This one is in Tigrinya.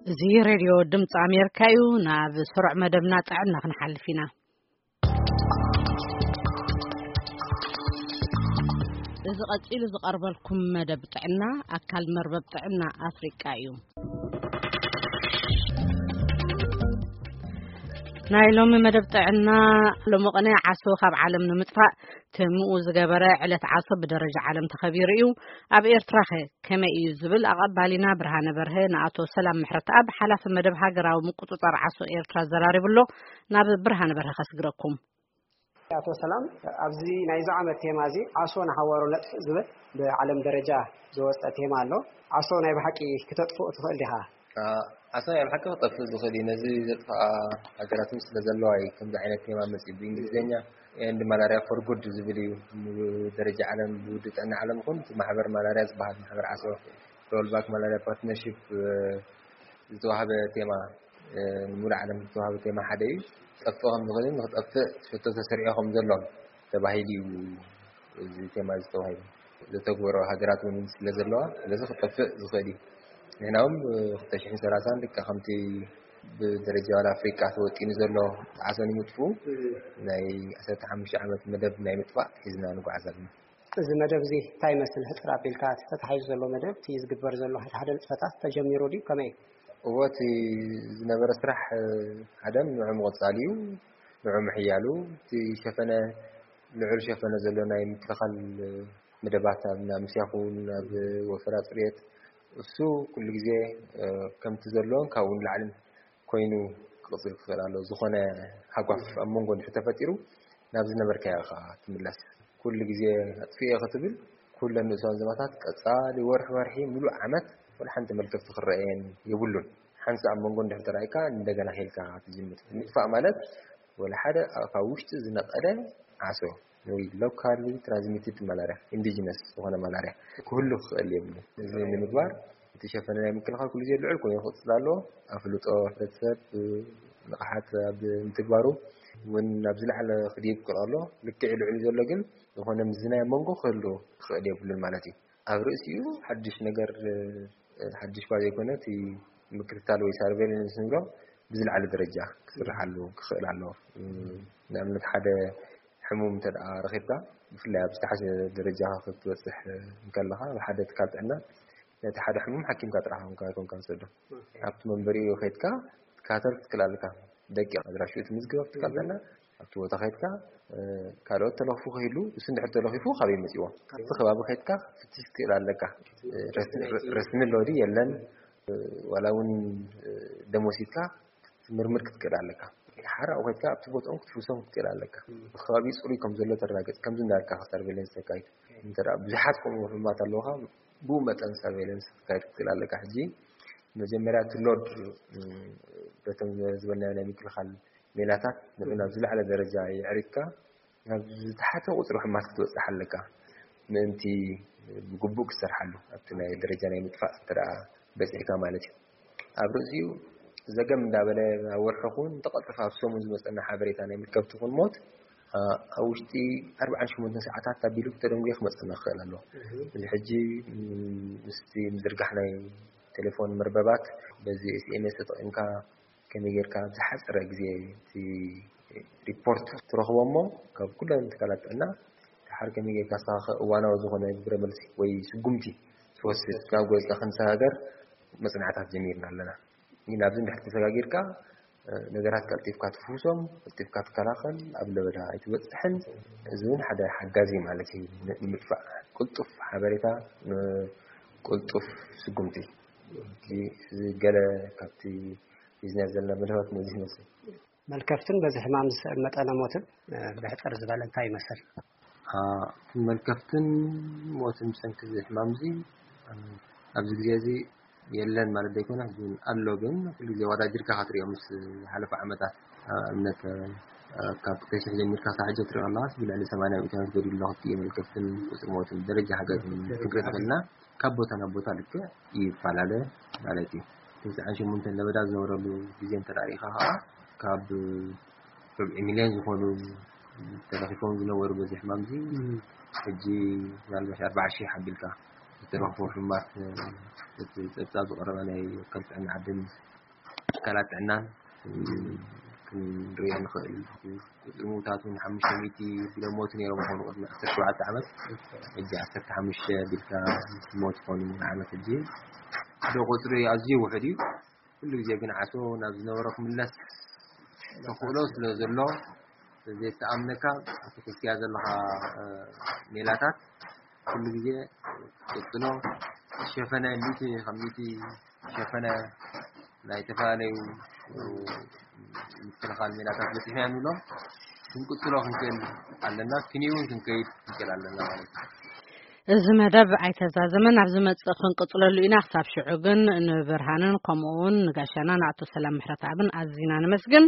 እዚ ሬድዮ ድምፂ ኣሜሪካ እዩ። ናብ ስሩዕ መደብና ጥዕና ክንሓልፍ ኢና። እዚ ቀፂሉ ዝቐርበልኩም መደብ ጥዕና ኣካል መርበብ ጥዕና ኣፍሪቃ እዩ። ናይ ሎሚ መደብ ጥዕና ሎሚ ቅነ ዓሶ ካብ ዓለም ንምጥፋእ ትምኡ ዝገበረ ዕለት ዓሶ ብደረጃ ዓለም ተኸቢሩ እዩ። ኣብ ኤርትራኸ ከመይ እዩ ዝብል ኣቐባሊና ብርሃነ በርሀ ንኣቶ ሰላም ምሕረተኣብ ሓላፊ መደብ ሃገራዊ ምቁጽጻር ዓሶ ኤርትራ ዘራሪቡ ኣሎ። ናብ ብርሃነ በርሀ ከስግረኩም። ኣቶ ሰላም፣ ኣብዚ ናይዚ ዓመት ቴማ እዚ ዓሶ ንሓዋሩ ነጥፍእ ዝብል ብዓለም ደረጃ ዝወፀ ቴማ ኣሎ። ዓሶ ናይ ብሓቂ ክተጥፍኦ ትኽእል ዲኻ? ዓሶ ናይ ብሓቂ ክጠፍእ ዝኽእል እዩ። ነዚ ዘጥፍኣ ሃገራት እውን ስለ ዘለዋ እዩ ከምዚ ዓይነት ቴማ መፅኡ። ብእንግሊዝኛ ኤንድ ማላርያ ፎር ጉድ ዝብል እዩ። ብደረጃ ዓለም፣ ብውድብ ጥዕና ዓለም ይኹን እቲ ማሕበር ማላርያ ዝበሃል ማሕበር ዓሶ፣ ሮልባክ ማላርያ ፓርትነርሺፕ ዝተዋህበ ቴማ፣ ንሙሉእ ዓለም ዝተዋህበ ቴማ ሓደ እዩ። ክጠፍእ ከም ዝኽእልን ንክጠፍእ ሕቶ ተሰሪዑ ከም ዘሎን ተባሂሉ እዩ እዚ ቴማ ዝተዋሂቡ። ዘተግበሮ ሃገራት እውን ስለ ዘለዋ፣ ስለዚ ክጠፍእ ዝኽእል እዩ። ንሕና እውን ብ ክልተ ሽሕን ሰላሳን ልክዕ ከምቲ ብደረጃ ዋላ ኣፍሪቃ ተወጢኑ ዘሎ ዓሶ ንምጥፍኡ ናይ ዓሰርተ ሓሙሽተ ዓመት መደብ ናይ ምጥፋእ ሒዝና ንጓዓዝ ኣለና። እዚ መደብ እዚ እንታይ ይመስል? ሕጽር ኣቢልካ እቲ ተታሒዙ ዘሎ መደብ፣ እቲ ዝግበር ዘሎ ሓደ ሓደ ንጥፈታት ተጀሚሩ ድዩ? ከመይ? እዎ፣ እቲ ዝነበረ ስራሕ ሓደ ንዑ ምቕጻል እዩ። ንዑ ምሕያሉ፣ እቲ ሸፈነ፣ ልዑል ሸፈነ ዘሎ ናይ ምክልኻል መደባት ኣብ ናብ ምስያኹ፣ ናብ ወፈራ ጽርየት፣ እሱ ኩሉ ግዜ ከምቲ ዘሎን ካብኡ ንላዕልን ኮይኑ ክቕጽል ክኽእል ኣለዎ። ዝኾነ ሃጓፍ ኣብ መንጎ እንድሕር ተፈጢሩ ናብ ዝነበርካዮ ኢኻ ትምለስ። ኩሉ ግዜ ኣጥፊኤ ክትብል ኩለን ንኡሳን ዞባታት ቀጻሊ ወርሒ ወርሒ ምሉእ ዓመት ወላ ሓንቲ መልከፍቲ ክረኣየን የብሉን። ሓንሳእ ኣብ መንጎ እንድሕር ተራእይካ እንደገና ሄልካ ትጅምር። ምጥፋእ ማለት ወላ ሓደ ካብ ውሽጢ ዝነቐለ ዓሶ ወይ ሎካሊ ትራንስሚትድ ማላርያ፣ ኢንዲጂነስ ዝኾነ ማላርያ ክህሉ ክኽእል የብሉን። እዚ ንምግባር እቲ ሸፈነ ናይ ምክልኻል ኩሉ ግዜ ልዑል ኮይኑ ክቕጽል ኣለዎ። ኣፍልጦ ሕብረተሰብ ንቕሓት ኣብ ምትግባሩ እውን ናብ ዝለዓለ ክድይብ ክኽእል ኣሎ። ልክዕ ልዑል ዘሎ ግን ዝኾነ ምዝናይ ኣብ መንጎ ክህሉ ክኽእል የብሉን ማለት እዩ። ኣብ ርእሲኡ ሓድሽ ነገር፣ ሓድሽ እኳ ዘይኮነ፣ እቲ ምክትታል ወይ ሳርቬይለንስ ንብሎ ብዝለዓለ ደረጃ ክስርሓሉ ክኽእል ኣለዎ። ንኣብነት ሓደ ሕሙም እንተ ደኣ ረኺብካ፣ ብፍላይ ኣብ ዝተሓሸ ደረጃ ክትበጽሕ እንከለኻ፣ ኣብ ሓደ ትካል ጥዕና ነቲ ሓደ ሕሙም ሓኪምካ ጥራሕ ኢኻ፣ ኣይኮንካን ትሰዶ። ኣብቲ መንበሪኡ ከይድካ ክትከታተል ክትክእል ኣለካ። ደቂቕ ኣድራሽኡ ትምዝግብ ኣብቲ ትካል ጥዕና፣ ኣብቲ ቦታ ከይድካ፣ እ፣ ካልኦት ተለኽፉ ከይህሉ፣ እሱ እንድሕር ተለኺፉ ካበይ መጺዎ? ኣብቲ ከባቢ ከይድካ ክትፍትሽ ክትክእል ኣለካ። እ፣ ረስ-፣ ረ-፣ ረስሚ ኣሎ ድዩ የለን? እ፣ ዋላ እውን፣ እ፣ ደም ወሲድካ ክትምርምር ክትክእል ኣለካ። ሓራኡ ከይድካ ኣብቲ ቦታኦም ክትፍውሶም ክትክእል ኣለካ። እቲ ከባቢ ጽሩይ ከም ዘሎ ተረጋገጽ፣ ከምዚ እንዳበልካ ሰርቬይለንስ ተካይድ። እንተ ደኣ ብዙሓት ከምኡ ሕሙማት ኣለውኻ፣ ብኡ መጠን ሰርቬይለንስ ክትካይድ ክትክእል ኣለካ። ሕጂ መጀመርያ እቲ ሎድ፣ እ፣ በቶም ዝበልናዮ ናይ ምክልኻል ሜላታት ንዑ ናብ ዝለዓለ ደረጃ የዕሪግካ፣ ናብ ዝተሓተ ቁጽሪ ሕማት ክትበጽሕ ኣለካ። ምእንቲ ብግቡእ ክትሰርሓሉ፣ ኣብቲ ናይ ደረጃ ናይ ምጥፋእ እንተ ደኣ በጺሕካ ማለት እዩ። ኣብ ርእሲኡ ዘገም እንዳበለ ኣብ ወርሒ ኹን እንተቐልጠፈ ኣብ ሰሙን ዝመጸና ሓበሬታ ናይ ምልከብቲ ኹን ሞት፣ ኣ፣ ኣብ ውሽጢ ኣርብዓን ሸሞንተን ሰዓታት ኣቢሉ ተደንጉየ ክመጸና ክኽእል ኣለዎ። እዚ ሕጂ፣ ም፣ ምስቲ ምዝርጋሕ ናይ ቴሌፎን መርበባት በዚ ኤስ ኤም ኤስ ተጠቒምካ ከመይ ጌርካ ኣብ ዝሓጸረ ግዜ እቲ ሪፖርት ትረኽቦ እሞ፣ ካብ ኩለን ትካላት ጥዕና ደሓር ከመይ ጌርካ ንስኻ ከ እዋናዊ ዝኾነ ግብረ መልሲ ወይ ስጉምቲ ትወስድ ናብ ጎይታ ክንሰጋገር መጽናዕታት ጀሚርና ኣለና። ግን ኣብዚ እንድሕር ተሰጋጊርካ፣ እ፣ ነገራት ቀልጢፍካ ትፍውሶም፣ ቀልጢፍካ ትከላኸል፣ ኣብ ለበዳ ኣይትበጽሕን። እዚ እውን ሓደ ሓጋዚ ማለት እዩ ን-፣ ንምጥፋእ። ቅልጡፍ ሓበሬታ፣ ን-፣ ቅልጡፍ ስጉምቲ። እዚ፣ እዚ ገለ ካብቲ ሒዝና ዘለና መደባት ነዚ ይመስል። መልከፍትን በዚ ሕማም ዝስዕብ መጠነ ሞትን፣ እ፣ ብሕጽር ዝበለ እንታይ ይመስል? አ፣ መልከፍትን ሞትን ብሰንኪ እዚ ሕማም እዚ፣ እ፣ ኣብዚ ግዜ እዚ የለን ማለት ዘይኮነ፣ ግን ኣሎ፣ ግን ኩሉ ግዜ ኣወዳዲርካ ክትሪኦ ምስ ዝሓለፈ ዓመታት፣ እ፣ ኣብነት፣ እ፣ ካብ ክልተ ሽሕ ጀሚርካ ክሳብ ሕጂ ትሪኦ ኣለኻስ ብልዕሊ ሰማንያ ሚእታዊት ጎዲሉ ኣሎ፣ ክልቲኡ መልከፍትን ቁጽሪ ሞትን ደረጃ ሃገር ክንርኢ ትኽእልና። ካብ ቦታ ናብ ቦታ ልክዕ ይፈላለ ማለት እዩ። ተስዓን ሸሞንተን ለበዳ ዝነበረሉ ግዜ እንተ ደኣ ርኢኻ ኸዓ፣ ካብ ርብዒ ሚልዮን ዝኾኑ ተለኺፎም ዝነበሩ በዚ ሕማም እዚ፣ እም። ሕጂ ምናልባት ኣርባዓ ሺሕ ኣቢልካ ዝረኽቦ ሕማት እቲ ጸብጻብ ዝቐረበ ናይ ወከል ጥዕና ዓድን ትካላት ጥዕናን ክንሪኦ ንኽእል። ቁጽሪ ምውታት እውን ሓሙሽተ ሚእቲ ቢሎም ሞቱ ነይሮም ይኾኑ ቅድሚ ዓሰርተ ሸውዓተ ዓመት። ሕጂ ዓሰርተ ሓሙሽተ ቢልካ ሞት ይኾኑ ንዓመት ሕጂ። ዶ ቁጽሪ ኣዝዩ ውሑድ እዩ። ኩሉ ግዜ ግን ዓሶ ናብ ዝነበሮ ክምለስ ተኽእሎ ስለ ዘሎ፣ ዘይተኣምነካ እቲ ሒዝካያ ዘለኻ ሜላታት ኩሉ ግዜ ቀጽሎ። ሸፈነ ሚእቲ ካብ ሚእቲ ሸፈነ ናይ ዝተፈላለዩ ምክልኻል ሜላታት በፂሕና ንብሎም ክንቅፅሎ ክንክእል ኣለና። ክንይውን ክንከይድ ክንክእል ኣለና ማለት እዩ። እዚ መደብ ኣይተዛዘመን፣ ኣብ ዝመጽእ ክንቅጽለሉ ኢና። ክሳብ ሽዑ ግን ንብርሃንን ከምኡ እውን ንጋሻና ንኣቶ ሰላም ምሕረተኣብን ኣዚና ነመስግን።